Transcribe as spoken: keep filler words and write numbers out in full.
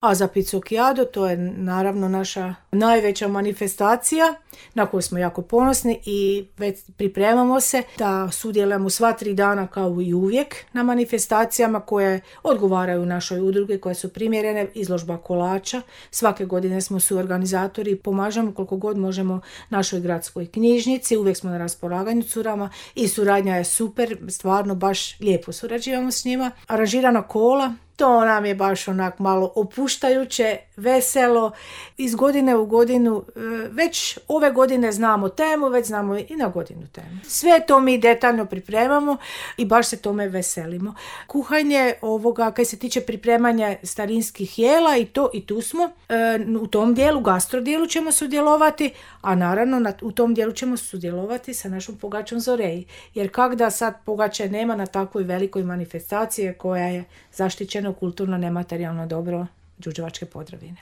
A za Picocchiado, to je naravno naša najveća manifestacija na koju smo jako ponosni i već pripremamo se da sudjelujemo sva tri dana kao i uvijek na manifestacijama koje odgovaraju našoj udruge, koje su primjerene, izložba kolača. Svake godine smo suorganizatori i pomažemo koliko god možemo našoj gradskoj knjižnici, uvijek smo na raspolaganju curama i suradnja je super, stvarno baš lijepo surađujemo s njima. Aranžirana kola, to nam je baš onak malo opuštajuće, veselo, iz godine u godinu, već ove godine znamo temu, već znamo i na godinu temu. Sve to mi detaljno pripremamo i baš se tome veselimo. Kuhanje ovoga, kaj se tiče pripremanja starinskih jela i to i tu smo, u tom dijelu, gastro dijelu ćemo sudjelovati, a naravno u tom dijelu ćemo sudjelovati sa našom pogačom Zoreji. Jer kak da sad pogače nema na takvoj velikoj manifestaciji koja je zaštićeno kulturno nematerijalno dobro Đurđevačke Podravine.